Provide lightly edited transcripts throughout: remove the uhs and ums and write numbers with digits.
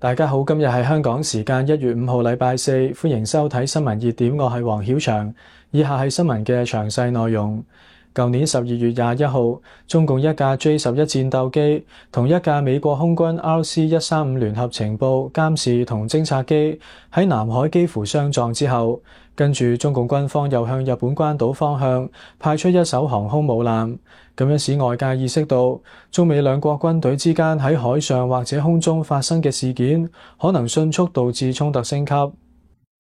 大家好，今日係香港時間1月5號禮拜四，歡迎收睇新聞熱點，我係黃曉翔。以下係新聞嘅詳細內容。舊年12月21號，中共一架 J-11戰鬥機同一架美國空軍 RC-135聯合情報、監視同偵察機喺南海幾乎相撞之後，跟住中共軍方又向日本關島方向派出一艘航空母艦，咁樣使外界意識到中美兩國軍隊之間喺海上或者空中發生嘅事件，可能迅速導致衝突升級。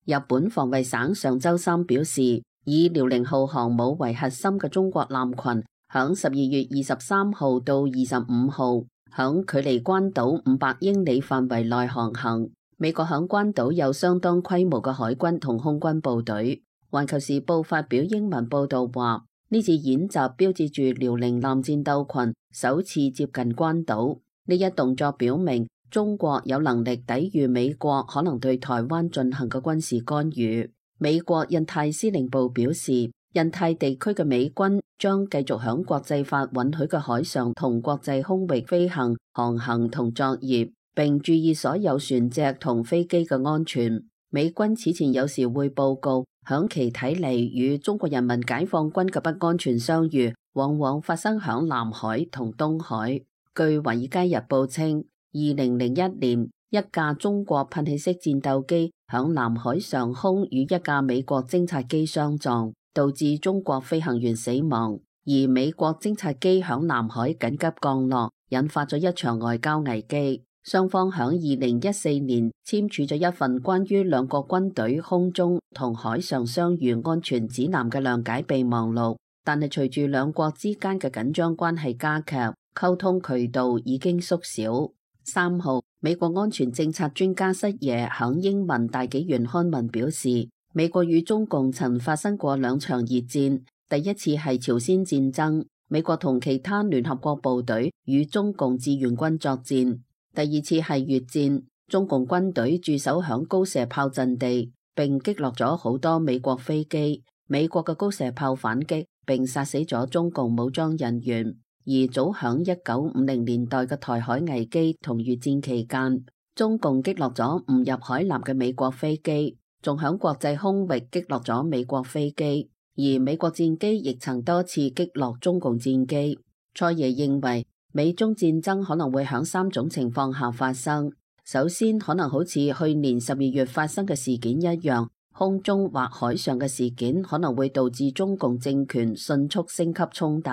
日本防衛省上週三表示，以遼寧號航母為核心嘅中國艦群，響12月23號到25號，響距離關島500英里範圍內航行。美國響關島有相當規模嘅海軍同空軍部隊。環球時報發表英文報道話，呢次演習標誌住遼寧艦戰鬥群首次接近關島。呢一動作表明中國有能力抵禦美國可能對台灣進行嘅軍事干預。美國印太司令部表示，印太地區嘅美軍將繼續響國際法允許嘅海上同國際空域飛行、航行同作業，並注意所有船隻同飛機嘅安全。美軍此前有時會報告，響其睇嚟與中國人民解放軍嘅不安全相遇，往往發生響南海同東海。據《華爾街日報》稱，2001年，一架中國噴氣式戰鬥機響南海上空與一架美國偵察機相撞，導致中國飛行員死亡，而美國偵察機響南海緊急降落，引發咗一場外交危機。雙方響2014年簽署咗一份關於兩國軍隊空中同海上相遇安全指南嘅諒解備忘錄，但係隨住兩國之間嘅緊張關係加劇，溝通渠道已經縮小。3號，美國安全政策專家室野響英文大紀元刊文表示，美國與中共曾發生過兩場熱戰，第一次係朝鮮戰爭，美國同其他聯合國部隊與中共志願軍作戰；第二次係越戰，中共軍隊駐守響高射炮陣地，並擊落咗好多美國飛機，美國嘅高射炮反擊並殺死咗中共武裝人員。而早響1950年代嘅台海危機同越戰期間，中共擊落咗誤入海南嘅美國飛機，仲響國際空域擊落咗美國飛機，而美國戰機亦曾多次擊落中共戰機。蔡爺認為，美中戰爭可能會響3種情況下發生。首先，可能好似去年12月發生嘅事件一樣，空中或海上嘅事件可能會導致中共政權迅速升級衝突。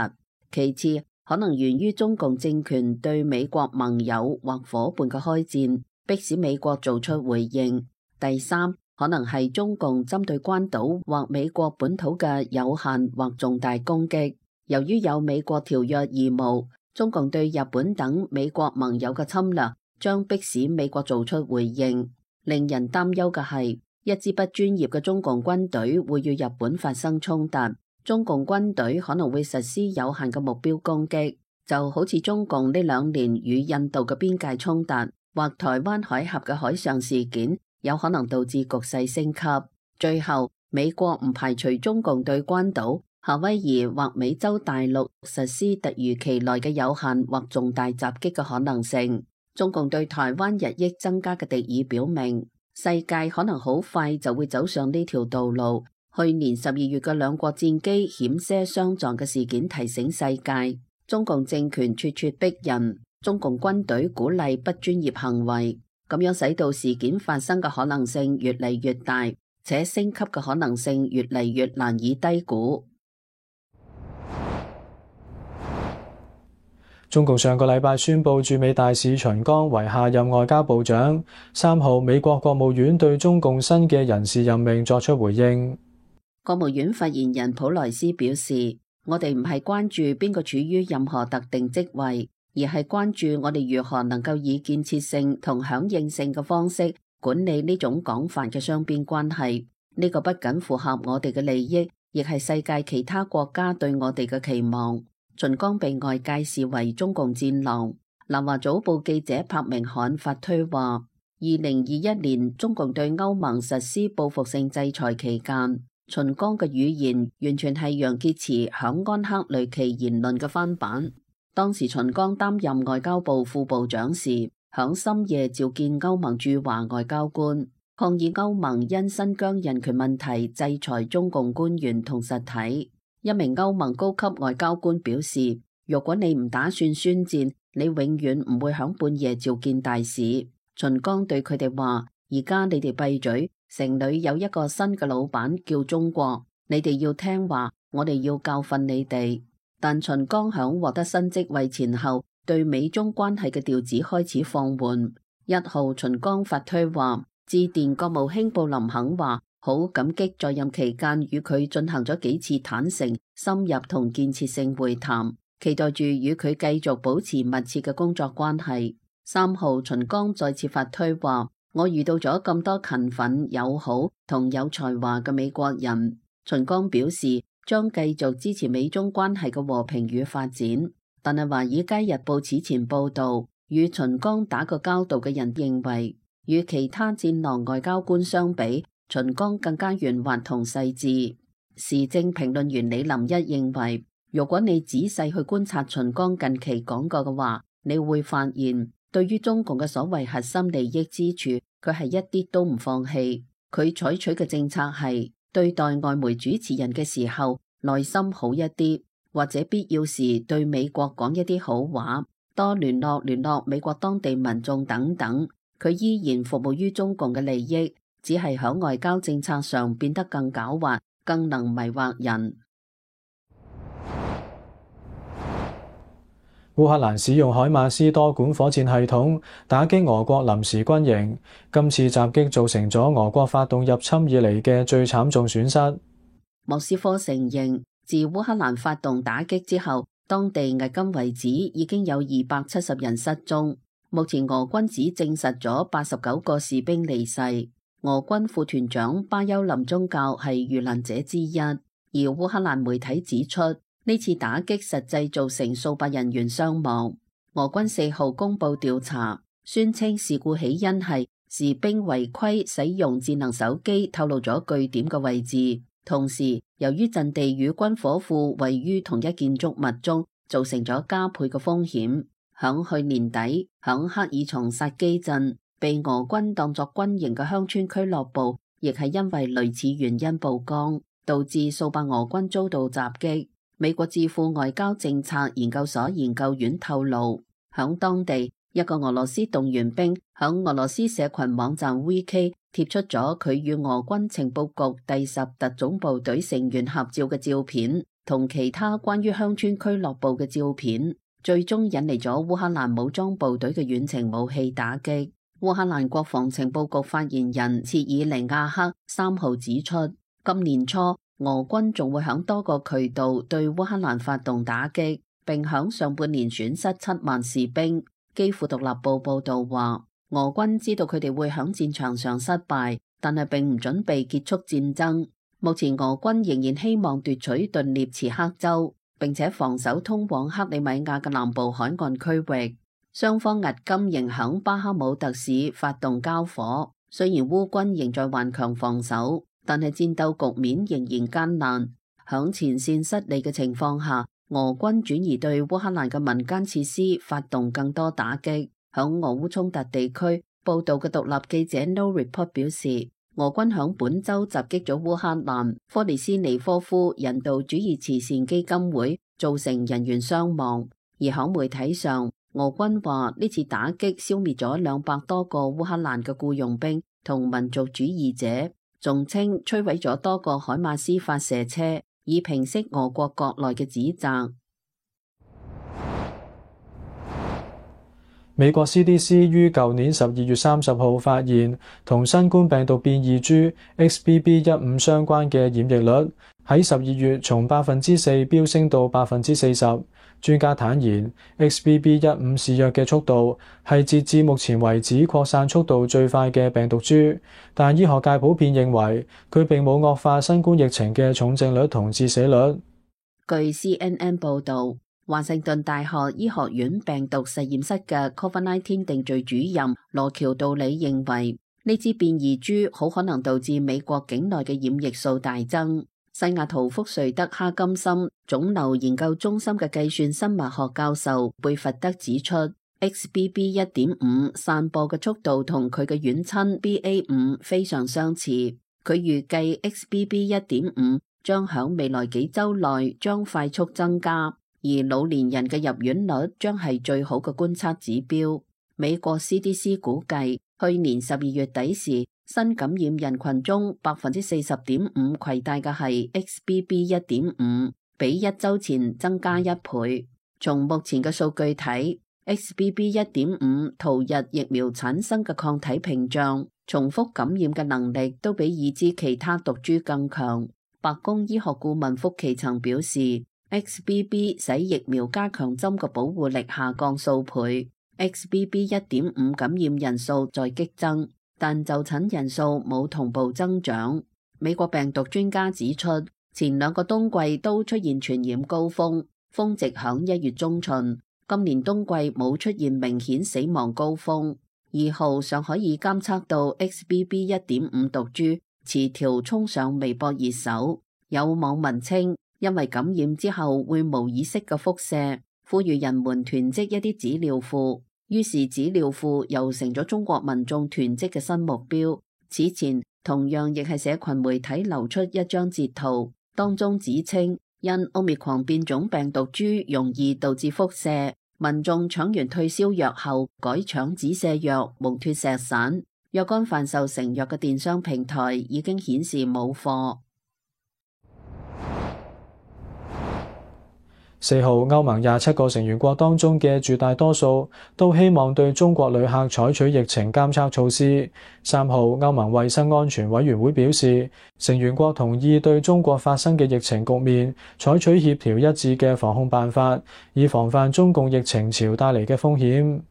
其次，可能源於中共政權對美國盟友或夥伴嘅開戰，迫使美國做出回應。第三，可能係中共針對關島或美國本土嘅有限或重大攻擊。由於有美國條約義務，中共對日本等美國盟友嘅侵略將迫使美國做出回應。令人擔憂嘅係，一支不專業嘅中共軍隊會與日本發生衝突。中共軍隊可能會實施有限嘅目標攻擊，就好似中共呢2年與印度嘅邊界衝突，或台灣海峽嘅海上事件，有可能導致局勢升級。最後，美國唔排除中共對關島、夏威夷或美洲大陸實施突如其來嘅有限或重大襲擊嘅可能性。中共對台灣日益增加嘅敵意表明，世界可能好快就會走上呢條道路。去年12月嘅兩國戰機險些相撞嘅事件提醒世界，中共政權咄咄逼人，中共軍隊鼓勵不專業行為，咁樣使到事件發生嘅可能性越嚟越大，且升級嘅可能性越嚟越難以低估。中共上個禮拜宣布駐美大使秦剛為下任外交部長。3號，美國國務院對中共新嘅人事任命作出回應。國務院發言人普萊斯表示，我哋唔係關注邊個處於任何特定職位，而係關注我哋如何能夠以建設性同響應性嘅方式管理呢種廣泛嘅雙邊關係。呢個不僅符合我哋嘅利益，亦係世界其他國家對我哋嘅期望。秦剛被外界視為中共戰狼。南華早報記者柏明翰發推話，2021年中共對歐盟實施報復性制裁期間，秦剛嘅語言完全係楊潔篪響安克雷奇言論嘅翻版。當時秦剛擔任外交部副部長時，響深夜召見歐盟駐華外交官，抗議歐盟因新疆人權問題制裁中共官員同實體。一名歐盟高級外交官表示，如果你唔打算宣戰，你永遠唔會響半夜召見大使。秦剛對佢哋話：而家你哋閉嘴，城裏有一個新嘅老闆叫中國，你哋要聽話，我哋要教訓你哋。但秦剛響獲得新職位前後，對美中關係嘅調子開始放緩。1號秦剛發推話，致電國務卿布林肯話，好感激在任期間與佢進行咗幾次坦誠、深入同建設性會談，期待住與佢繼續保持密切嘅工作關係。3號秦剛再次發推話，我遇到咗咁多勤奮、友好同有才華嘅美國人。秦剛表示將繼續支持美中關係嘅和平與發展，但係《華爾街日報》此前報道，與秦剛打過交道嘅人認為，與其他戰狼外交官相比，秦剛更加圓滑同細緻。時政評論員李林一認為，如果你仔細去觀察秦剛近期講過嘅話，你會發現，對於中共嘅所謂核心利益之處，佢係一啲都唔放棄。佢採取嘅政策係對待外媒主持人嘅時候，內心好一啲，或者必要時對美國講一啲好話，多聯絡美國當地民眾等等。佢依然服務於中共嘅利益，只係喺外交政策上變得更狡猾，更能迷惑人。烏克蘭使用海馬斯多管火箭系統打擊俄國臨時軍營，今次襲擊造成咗俄國發動入侵以嚟嘅最慘重損失。莫斯科承認，自烏克蘭發動打擊之後，當地迄今為止已經有270人失蹤。目前俄軍只證實咗89個士兵離世。俄軍副團長巴丘林宗教係遇難者之一，而烏克蘭媒體指出，呢次打擊實際造成數百人員傷亡。俄軍4號公布調查，宣稱事故起因係士兵違規使用智能手機透露咗據點嘅位置，同時由於陣地與軍火庫位於同一建築物中，造成咗加倍嘅風險。響去年底，響克爾松薩基鎮被俄軍當作軍營嘅鄉村俱樂部，亦係因為類似原因曝光，導致數百俄軍遭到襲擊。美國智庫外交政策研究所研究員透露，響當地一個俄羅斯動員兵響俄羅斯社群網站 VK 貼出咗佢與俄軍情報局第10特種部隊成員合照嘅照片，同其他關於鄉村俱樂部嘅照片，最終引嚟咗烏克蘭武裝部隊嘅遠程武器打擊。烏克蘭國防情報局發言人切爾尼亞克3號指出，今年初俄軍仲會響多個渠道對烏克蘭發動打擊，並響上半年損失7萬士兵。基輔獨立報報道話，俄軍知道佢哋會響戰場上失敗，但係並唔準備結束戰爭。目前俄軍仍然希望奪取頓涅茨克州，並且防守通往克里米亞嘅南部海岸區域。雙方迄今仍響巴克姆特市發動交火，雖然烏軍仍在頑強防守，但係戰鬥局面仍然艱難。響前線失利嘅情況下，俄軍轉移對烏克蘭嘅民間設施發動更多打擊。響俄烏衝突地區報道嘅獨立記者 No Report 表示，俄軍響本周襲擊咗烏克蘭科列斯尼科夫人道主義慈善基金會，造成人員傷亡。而響媒體上，俄軍話呢次打擊消滅咗200多個烏克蘭嘅僱傭兵同民族主義者，仲稱摧毀咗多個海馬斯發射車，以平息俄國國內嘅指責。美國 CDC 於舊年12月30號發現同新冠病毒變異株 XBB.1.5 相關嘅染疫率喺12月從4%飆升到40%。專家坦言 ，XBB.1.5 肆虐嘅速度係截至目前為止擴散速度最快嘅病毒株，但醫學界普遍認為佢並冇惡化新冠疫情嘅重症率同致死率。據 CNN 報導，華盛頓大學醫學院病毒實驗室嘅 COVID-19 定序主任羅喬道理認為，呢支變異株好可能導致美國境內嘅染疫數大增。西雅圖福瑞德哈金森腫瘤研究中心嘅計算生物學教授貝弗德指出 XBB.1.5 散播嘅速度同佢嘅遠親 BA.5 非常相似。佢預計 XBB.1.5 將響未來幾週內將快速增加，而老年人嘅入院率將係最好嘅觀察指標。美國 CDC 估計，去年12月底時，新感染人群中40.5%攜帶嘅係 XBB.1.5，比一週前增加1倍。從目前嘅數據睇，XBB.1.5 逃逸疫苗產生嘅抗體屏障，重複感染嘅能力都比已知其他毒株更強。白宮醫學顧問福奇曾表示， XBB 使疫苗加強針嘅保護力下降數倍。XBB.1.5 感染人數在激增，但就診人數冇同步增長。美國病毒專家指出，前2個冬季都出現傳染高峰，峰值響1月中旬。今年冬季冇出現明顯死亡高峰。2號尚可以監測到 XBB.1.5 毒株詞條衝上微博熱搜，有網民稱因為感染之後會無意識嘅輻射，呼籲人們囤積一啲紙尿褲，於是紙尿褲又成咗中國民眾囤積嘅新目標。此前同樣亦係社群媒體流出一張截圖，當中指稱因 Omicron 變種病毒株容易導致輻射，民眾搶完退燒藥後改搶止瀉藥、蒙脱石散。若干販售成藥嘅電商平台已經顯示冇貨。4號，歐盟27個成員國當中嘅絕大多數都希望對中國旅客採取疫情監測措施。3號，歐盟衛生安全委員會表示，成員國同意對中國發生嘅疫情局面採取協調一致嘅防控辦法，以防範中共疫情潮帶嚟嘅風險。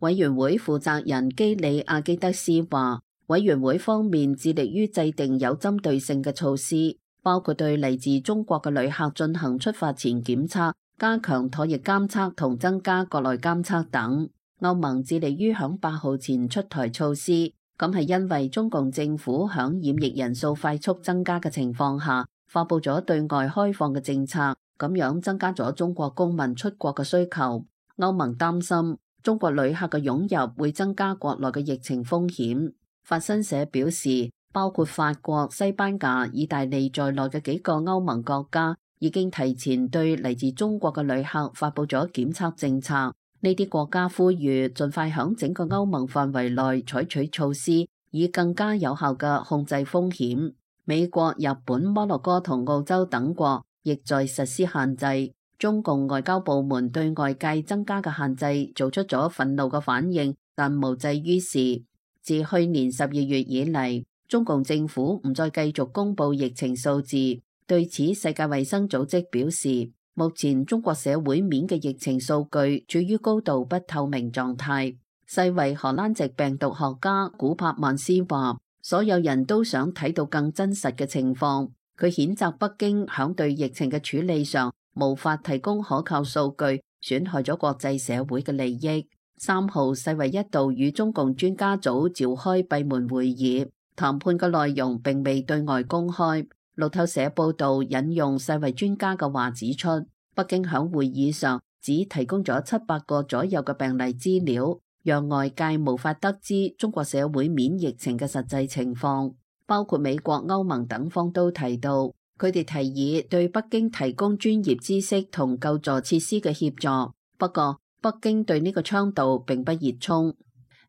委員會負責人基里亞基德斯話，委員會方面致力於制定有針對性嘅措施，包括對嚟自中國嘅旅客進行出發前檢測，加強唾液監測同增加國內監測等。歐盟致力於響8號前出台措施，咁係因為中共政府響染疫人數快速增加嘅情況下，發佈咗對外開放嘅政策，咁樣增加咗中國公民出國嘅需求。歐盟擔心中國旅客嘅湧入會增加國內嘅疫情風險。法新社表示，包括法國、西班牙、意大利在內嘅幾個歐盟國家已經提前對嚟自中國嘅旅客發佈咗檢測政策。呢啲國家呼籲盡快響整個歐盟範圍內採取措施，以更加有效嘅控制風險。美國、日本、摩洛哥同澳洲等國亦在實施限制。中共外交部門對外界增加嘅限制做出咗憤怒嘅反應，但無濟於事。自去年12月以嚟，中共政府唔再繼續公布疫情數字。對此，世界衛生組織表示，目前中國社會面嘅疫情數據處於高度不透明狀態。世衛荷蘭籍病毒學家古柏曼斯話，所有人都想睇到更真實嘅情況。佢譴責北京響對疫情嘅處理上無法提供可靠數據，損害咗國際社會嘅利益。3號，世衛一度與中共專家組召開閉門會議，談判嘅內容並未對外公開。路透社報道引用世衛專家嘅話指出，北京響會議上只提供咗700個左右嘅病例資料，讓外界無法得知中國社會面疫情嘅實際情況。包括美國、歐盟等方都提到，佢哋提議對北京提供專業知識同救助設施嘅協助。不過，北京對呢個倡導並不熱衷。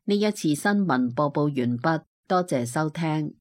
呢一次新聞播報完畢，多謝收聽。